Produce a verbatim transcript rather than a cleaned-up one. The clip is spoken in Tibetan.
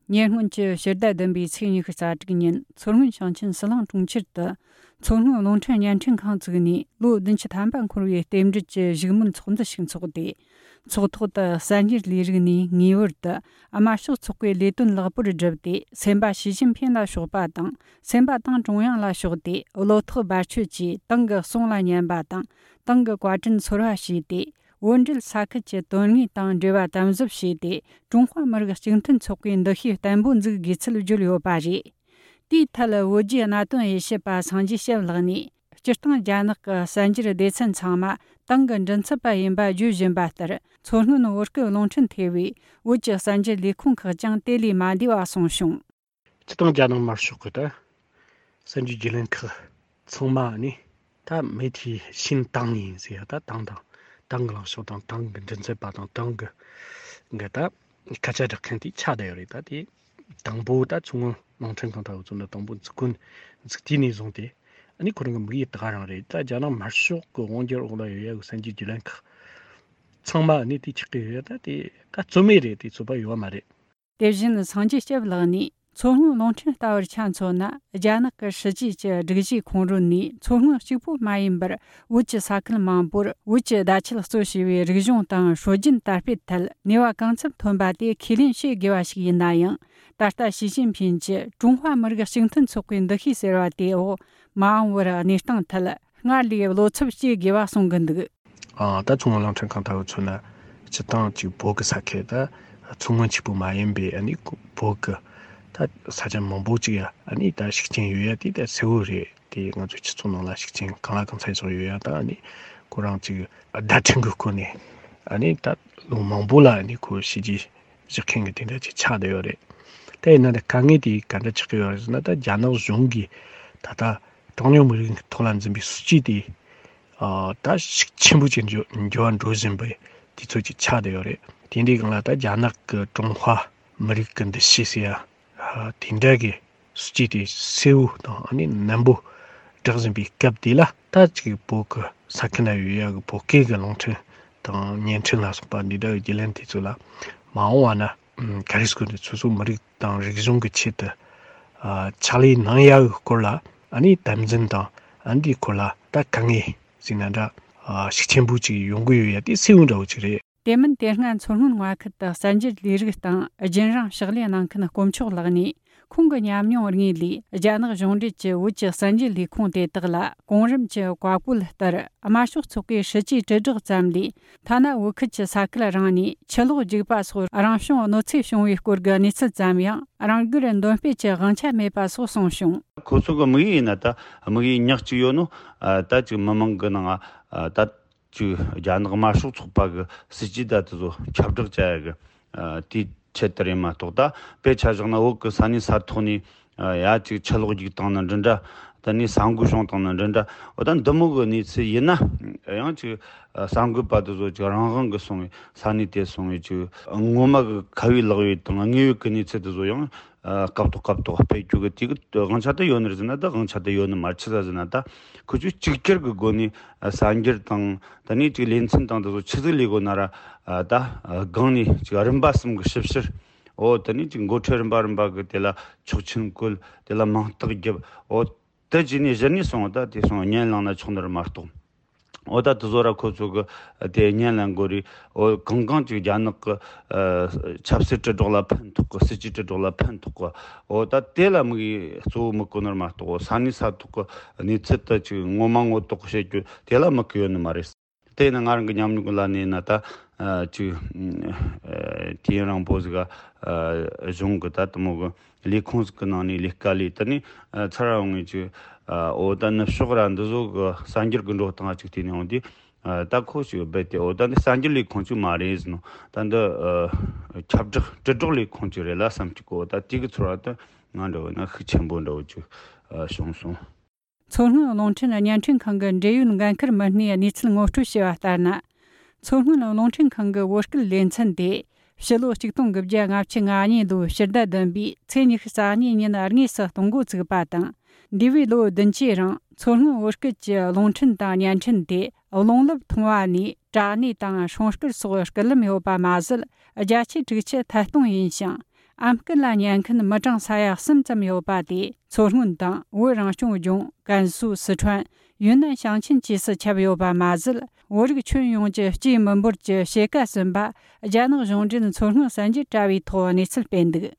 ཉེ་སྔོན་གྱི་ཕྱི་ཟླ་བདུན་པའི་ཚེས་ཉི་ཤུ་རྩ་དྲུག་ཉིན། མཚོ་སྔོན་ཞིང་ཆེན་ཟི་ལིང་གྲོང་ཁྱེར་དུ་མཚོ་སྔོན་རླུང་འཕྲིན་བརྙན་འཕྲིན་ཁང་བཙུགས་ནས། ལོ་བདུན་ཅུ་ཐམ་པ་འཁོར་བའི་རྟེན་འབྲེལ་གྱི་བཞུགས་མོལ་ཚོགས་འདུ་ཞིག་འཚོགས་ཏེ། ཚོགས་ཐོག་ཏུ་གསར་འགྱུར་ལས་རིགས་ནས་ངེས་པར་དུ་དམར་ཤོག་ཚོགས་པའི་ལས་དོན་ལེགས་པོར་བསྒྲུབས་ཏེ། སེམས་པ་ཞི་ཅིན་ཕིན་ལ་ཕྱོགས་པ་དང་། སེམས་པ་ཏང་ཀྲུང་དབྱང་ལ་ཕྱོགས་ཏེ། བློ་ཐག་རྦད་ཆོད་ཀྱིས་ཏང་གི་གསུང་ལ་ཉན་པ་དང་། ཏང་གི་བཀའ་དྲིན་ཚོར་བ་བྱས་ཏེ། བོད་འབྲེལ་ས་ཁུལ་གྱི་དོན་དངོས་དང་འབྲེལ་བ་དམ་ཟབ་བྱས་ཏེ། ཀྲུང་ཧྭ་མི་རིགས་གཅིག་མཐུན་ཚོགས་པའི་འདུ་ཤེས་བརྟན་པོ་འཛུགས་དགོས་ཚུལ་བརྗོད་ཡོད་པ་རེད། དེའི་ཐད། བོད་བརྒྱུད་གནད་དོན་དབྱེ་ཞིབ་པ་སངས་རྒྱས་སྐྱབས་ལགས་ནས། སྤྱིར་བཏང་རྒྱ་ནག་གི་གསར་འགྱུར་སྡེ་ཚན་ཚང་མ་ཏང་གི་མགྲིན་ཚབ་པ་ཡིན་པ་བརྗོད་བཞིན་པ་ལྟར། མཚོ་སྔོན་བོད་སྐད་རླུང་འཕྲིན་ཐེ་བའི་བོད་ཀྱི་གསར་འགྱུར་ལས་ཁུངས་ཁག་ཀྱང་དེ་ལས་མ་འདས་པ་གསུངས་བྱུང་། སྤྱིར་བཏང་རྒྱ་ནག་དམར་ཤོག་གི་ད་གསར་འགྱུར་བརྒྱུད་ལམ་ཁག་ཚང་མ་ནི་ད་媒体信党 ཡིན་ཟེར་ཡ། ད་ཏང་དང་ཏང་གི་ལངས་ཕྱོགས་དང་། ཏང་གི་མགྲིན་ཚབ་པ་དང་། ཏང་གི་གི་ད་སྐད་ཆ་བསྒྲགས་མཁན་དེ་ཆགས་བསྡད་ཡོད་རེད། ད་དེ་དང་པོ་ད་མཚོ་སྔོན་རླུང་འཕྲིན་ཁང་ལྟ་བུ་ཚོ་ནི་དང་པོ་འཛུགས་སྐྲུན་འཛུགས་དུས་ནས་བཟུང་སྟེ། ཨ་ནི་ཁོ་རང་གི་དམིགས་ཡུལ་ད་ག་རང་རེད། ད་རྒྱ་ནག་དམར་ཤོག་གི་དབང་སྒྱུར་འོག་ལ་ཡོད་ཡ་གི་གསར་འགྱུར་བརྒྱུད་ལམ་ཁག་ཚང་མ་ནི་དེ་ཆགས་ཀྱི་ཡོད་ཡ། ད་དེ་ད་རྩོད་མེད་རེད། དེ་རྩོད་པ་ཡོད་མ་རེད། དེ་བཞིན་སངས་རྒྱས་སྐྱབས་ལགས་ནས། མཚོ་སྔོན་རླུང་འཕྲིན་ལྟ་བུར་ཆ་མཚོན་ན། རྒྱ་ནག་གི་སྲིད་ཇུས་ཀྱི་སྒྲིག་གཞིའི་ཁོངས་རོལ་ནས། མཚོ་སྔོན་གཅིག་པུ་མ་ཡིན་པར། བོད་ཀྱི་ས་ཁུལ་མང་པོར་བོད་ཀྱི་བརྡ་ཆད་གཙོ་བྱས་པའི་རིག་གཞུང་དང་སྲོལ་རྒྱུན་དར་སྤེལ་ཐད་ནུས་པ་གང་འཚམ་ཐོན་པ་དེ་ཁས་ལེན་བྱེད་དགོས་པ་ཞིག་ཡིན་ན་ཡང་། ད་ལྟ་ཞི་ཅིན་ཕིན་གྱི་ཀྲུང་ཧྭ་མི་རིགས་གཅིག་མཐུན་ཚོགས་པའི་འདུ་ཤེས་ཟེར་བ་དེའི་འོག་མ་འོངས་པར་གནས་སྟངས་ཐད་སྔར་ལས་བློ་འཚབ་བྱེད་དགོས་པ་གསུང་གི་འདུག། ཨ། ད་མཚོ་སྔོན་རླུང་འཕྲིན་ཁང་ལྟ་བུ་མཚོན་ན། སྤྱིར་བཏང་ཅིག་བོད་ཀྱི་ས་ཁུལ་ད་མཚོ་སྔོན་གཅིག་པུ་མ་ཡིན་པའི། ཨ་ནི་བོད་ཀྱི་ད་ས་ཆ་མང་པོ་ཅིག་ཡ། ཨ་ནི་ད་ཤུགས་རྐྱེན་ཡོད་ཡ་དེ་ད་གསལ་བོ་རེད། དེ་ང་ཚོའི་སྤྱི་ཚོགས་ནང་ལ་ཤུགས་རྐྱེན་གང་ལ་གང་འཚམ་ཅིག་ཡོད་ཡ། ད་ཨ་ནི་ཁོ་རང་ཅིག་བརྡ་འཕྲིན་གྱི་སྒོ་ནས། ཨ་ནི་ད་ལོ་མང་པོ་ལ་ཨ་ནི་ཁོ་བྱས་རྗེས་བཞག་མཁན་གྱི་དེ་འདྲ་ཅིག་ཆགས་བསྡད་ཡོད་རེད། དེ་ཡིན་ན་ད་དཀའ་ངལ་དེ་ག་འདྲ་ཆགས་ཀྱི་ཡོད་རེད་ཟེར་ན། ད་རྒྱ་ནག་གཞུང་གིས་ད་ལྟ་གྲངས་ཉུང་མི་རིགས་ཐོག་ལ་འཛིན་པའི་སྲིད་ཇུས་དེ། ཨ། ད་ཤུགས་ཆེན་པོ་ཅིག་འགྱུར་འགྱུར་བ་འགྲོ་བཞིན་པའི་དུས་ཚོད་ཅིག་ཆགས་བསྡད་ཡོད་རེད། དེ་འདྲའི་སྒང་ལ་ད་རྒྱ་ནག་གི་ཀྲུང་ཧྭ་མི་རིགས་ཀྱི་འདུ་ཤེས་ཟེར་ཡ། ཨ། དེ་འདྲ་གི་སྲིད་ཇུས་དེ་གསལ་བོ་དང་། ཨ་ནི་ནན་པོ་བསྒྲགས་བཞིན་པའི་སྐབས་དེ་ལ། ད་ཅིག་བོད་ཀྱི་ས་ཁུལ་ན་ཡོད་ཡ་གི་བོད་སྐད་ཀྱི་རླུང་འཕྲིན་དང་བརྙན་འཕྲིན་ལ་སོགས་པ་འདི་འདྲ་གི་བརྒྱུད་ལམ་དེ་ཚོ་ལ་མ་འོངས་པ་ན། ཨ། ག་རེ་ཟེར་དགོས་རེད། སོ་སོ་མི་རིགས་དང་རིག་གཞུང་གི་ཆེད་དུ། ཨ། ཕྱག་ལས་གནང་ཡག་གི་སྐོར་ལ། ཨ་ནི་དམ་འཛིན་དང་། ཨ། འདིའི་སྐོར་ལ་ད་དཀའ་ངལ་ཟེར་ན་འདྲ། ཨ། ཤུགས་ཆེན་པོ་ཅིག་ཡོང་གི་ཡོད་ཡ་དེ་གསལ་བོ་འདྲ་བོ་ཅིག་རེད། དེ་མིན་དེ་སྔ་མཚོ་སྔོན་མངའ་ཁུལ་དུ་གསར་འགྱུར་ལས་རིགས་སྟེང་རྒྱུན་རིང་ཕྱག་ལས་གནང་མཁན་དཀོན་མཆོག་ལགས་ནས། ཁོང་གི་ཉམས་མྱོང་དངོས་ལས། རྒྱ་ནག་གཞུང་འབྲེལ་གྱི་བོད་ཀྱི་གསར་འགྱུར་ལས་ཁུངས་དེ་དག་ལ་གོང་རིམ་གྱི་བཀའ་བཀོད་ལྟར། དམར་ཤོག་ཚོགས་པའི་སྲིད་ཇུས་དྲིལ་བསྒྲགས་ཙམ་ལས། ཐ་ན་བོད་ཁུལ་གྱི་ས་ཁུལ་རང་ནས་ཆུ་ལོག་རྒྱུག་པ་སོགས་རང་བྱུང་གནོད་འཚེ་བྱུང་བའི་སྐོར་གྱི་གནས་ཚུལ་ཙམ་ཡང་རང་དགར་འདོན་སྤེལ་གྱི་དབང་ཆ་མེད་པ་སོགས་གསུངས་བྱུང་། ཁོ་ཚོ་གི་དམིགས་ཡུལ་ཡིན་ན། ད་དམིགས་ཡུལ་ཉག་གཅིག་ཡོད་ནོ། ཨ། ད་ཅིག་མི་མང་གི་ནང་། ཨ། ད་ཅིག་རྒྱ་ནག་དམར་ཤོག་ཚོགས་པ་གི་སྲིད་ཇུས་ད་དེ་ཚོ་ཁྱབ་བསྒྲགས་བྱ་ཡ་གི། ཨ། དེའི་ཆེད་དུ་རེད་མ་གཏོགས། ད་དཔེ་ཆ་བཞག་ན་བོད་གི་ས་གནས་ས་ཐོག་ནས། ཨ། ཡ་ཅིག་ཆུ་ལོག་རྒྱུག་བཏང་ན་འདྲ་འདྲ། ད་ནི་ས་འགུལ་བྱུང་བཏང་ན་འདྲ་འདྲ། འོ། ད་འདི་མོ་གི་གནས་ཚུལ་ཡིན་ན་ཡང་ཅིག། ཨ། གསར་འགོད་པ་དེ་ཚོ་ཅིག་རང་དབང་གི་སོང་བའི་ས་གནས་དེ་སོང་བའི་ཅིག་ངོ་མ་གི་ཁ་བའི་ལག་བའི་དང་དངོས་ཡོད་གི་གནས་ཚུལ་དེ་ཚོ་ཡང་། ཨ། སྐབས་ཐོག་སྐབས་ཐོག་སྤེལ་རྒྱུ་གི་དེ་གི་དབང་ཆ་དེ་ཡོད་ནི་རེད་ཟེར་ན། ད་དབང་ཆ་དེ་ཡོད་ནི་མ་རེད། ཆི་ཟེར་ན། ད་ཁོ་ཚོས་གཅིག་གྱུར་གི་སྒོ་ནས། ཨ། གསར་འགྱུར་དང་། ད་ནི་ཅིག་ལེ་ཚན་དང་དེ་ཚོ་ཆི་ཟིག་ལས་དགོས་ན་ར། ཨ། ད་སྒང་ནས་ཅིག་རིམ་པ་གསུམ་གི་ཞིབ་བཤེར། འོ། ད་ནི་ཅིག་འགོ་ཁྲིད་རིམ་པ་རིམ་པ་གི་དེ་ལ་ཆོག་མཆན་བཀོད། དེ་ལ་མིང་རྟགས་བརྒྱབ། འོ། དེ་བྱས་ནས་གཞི་ནས་སོང་། ད་དེ་སོང་བརྙན་བླངས་ན་ཆོག་ནི་རེད་མ་གཏོགས། འོ། ད་དེ་ཚོ་ར་ཁོ་ཚོ་གི་དེ་བརྙན་ལ་འགོ་རེད། འོ། གང་གང་ཅིག་རྒྱ་ནག་གི། ཨ། ཆབ་སྲིད་དྲིལ་སྒྲོག་ལ་ཕན་ཐོགས་གི། སྲིད་ཇུས་དྲིལ་སྒྲོག་ལ་ཕན་ཐོགས་གི། འོ། ད་དེ་ལ་དམིགས་ཡུལ་གཙོ་བོ་དམིགས་གོ་ནོར་མ་གཏོགས། འོ། ས་གནས་ས་ཐོག་གི་གནས་ཚུལ་དེ་ཅིག་ངོ་མ་ངོ་ཐོག་བཤད་རྒྱུ་དེ་ལ་དམིགས་གི་ཡོད་ནི་མ་རེད། དེ་ནི་ང་རང་གི་ཉམས་མྱོང་ལ་གནས་ན། ད། ཨ། ཅིག། ཨ། དུས་ཡུན་རིང་པོ་ཟིག་ག། ཨ། གཞུང་གི་ད་དེ་མོ་གི་ལས་ཁུངས་ཟིག་གི་ནང་ནས་ལས་ཀ་ལས། དེ་ནས། ཨ། ཚར་བ་ངས་ཅིག། ཨ། འོ། ད་ནུབ་ཕྱོགས་ར་འདི་ཚོ་གི་གསར་འགྱུར་གི་འགྲོ་སྟངས་ཅིག་བལྟས་ནས་འོང་དུས། ཨ། ད་ཁོ་ཅིག་རྦད་དེ། འོ། ད་འདི་གསར་འགྱུར་ལས་ཁུངས་ཅིག་མ་རེད་ཟེར་ནོ། ད་འདི། ཨ། ཁྱབ་བསྒྲགས་དྲིལ་སྒྲོག་ལས་ཁུངས་ཅིག་རེད་ལ་བསམ་གྱི་གོ། ད་དེ་གི་ཚོར་བ་དེ་ང་འདྲ་བོ་ན་ཤུགས་ཆེན་པོ་འདྲ་བོ་ཅིག། ཨ། བྱུང་སོང་། མཚོ་སྔོན་རླུང་འཕྲིན་བརྙན་འཕྲིན་ཁང་གི་འབྲེལ་ཡོད་འགན་འཁུར་མི་སྣས་གནས་ཚུལ་ངོ་སྤྲོད་བྱས་པ་ལྟར་ན། མཚོ་སྔོན་རླུང་འཕྲིན་ཁང་གི་བོད་སྐད་ལེ་ཚན་དེ་ཕྱི་ལོ་ཆིག་སྟོང་དགུ་བརྒྱ་ལྔ་བཅུ་ང་གཉིས་ལོའི་ཕྱི་ཟླ་བདུན་པའི་ཚེས་ཉི་ཤུ་རྩ་གཉིས་ཉིན་དངོས་སུ་གཏོང་འགོ་བཙུགས་པ་དང་། འདས་པའི་ལོ་བདུན་ཅུའི་རིང་མཚོ་སྔོན་བོད་སྐད་ཀྱི་རླུང་འཕྲིན་དང་བརྙན་འཕྲིན་དེ་རླུང་རླབས་ཐུང་བ་ནས་དྲ་གནས་དང་སྲུང་སྐར་སོགས་སྐུད་ལམ་ཡོད་པ་མ་ཟད། བརྒྱ་ཆའི་དྲུག་ཅུ་ཐད་གཏོང་ཡིན་ཞིང་། ཨམ་སྐད་ལ་ཉན་མཁན་མི་གྲངས་ས་ཡ་གསུམ་ཙམ་ཡོད་པ་དེ། མཚོ་སྔོན་དང་བོད་རང་སྐྱོང་ལྗོངས། ཀན་སུའུ། སི་ཁྲོན། ཡུན་ནན་ཞིང་ཆེན་བཅས་སུ་ཁྱབ་ཡོད་པ་མ་ཟད། བོད་རིགས་ཁྱོན་ཡོངས་ཀྱི་སྐྱེས་མི་འབོར་གྱི་ཕྱེད་ཀ་ཟིན་པ་རྒྱ་ནག་གཞུང་འབྲེལ་མཚོ་སྔོན་གསར་འགྱུར་དྲ་བའི་ཐོག་གནས་ཚུལ་སྤེལ་འདུག།